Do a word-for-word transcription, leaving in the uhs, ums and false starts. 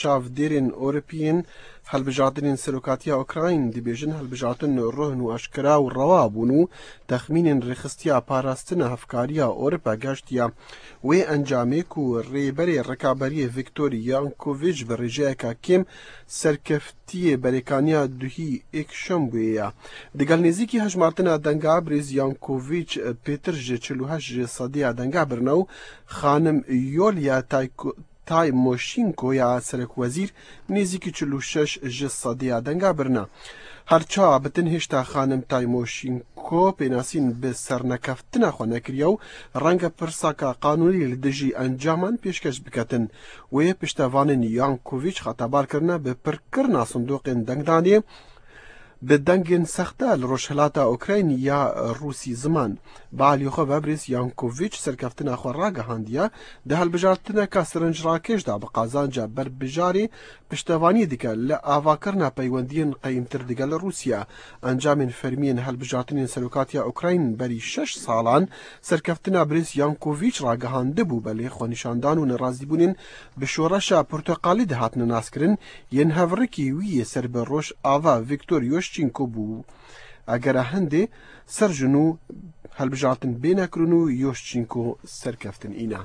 çavdêrên Ewropî yên helbijartinên serokatiya Ukrayn dibêjin, helbijartin ruhin û aşkera û rewa bûn û texmînên rêxistiya parastina hevkariya Ewropa gehiştiye. Wê encamê ku rêberê rikaberiyê Viktor Yankovic bi rêjeyeka kêm serkeftiyê berêkaniya duhî êkşem bûye ye. Digel nêzîkî hejmartina denga birêz Yankovic pêtir ji çil û heşt ji sediya denga birine û xanim Yolya Tayko-, Taymoşînko ya serekwezîr nêzîkî çil û şeş ji sediya denga birine. Her çawa bitin hêşta xanim Taymoşînko pênasîn bi sernekeftina xwe nekiriye û renge pirsaka qanûnî li dijî encaman pêşkeş biketin. Wê piştevanên Yankovic xetebar kirine bi pirkirina sindoqên dengdanê bi dengên sexte li rojhilata Ukraynî ya Rûsî ziman. Bi alî xwe ve birêz Yankovic serkeftina xwe ragihandiye, di hilbijartineka sirinc rakêş de bi qazanca berbijarê piştevanî dike li avakirina peywendiyên qeyîmtir digel Rûsya. Encamên fermiyên hilbijartinên serokatiya Ukrayn berî şeş salan serkeftina birêz Yankovic ragihandibû, belê xwenîşandan û nerazîbûnên bi şoreşa porteqalî dihatine naskirin, yên hevrikî wî yê ser bi Rojava Viktor Yoşçînko bû. Egera hindê ser ji nû hilbijartin bê nekirin û Yoşçînko serkeftin îna.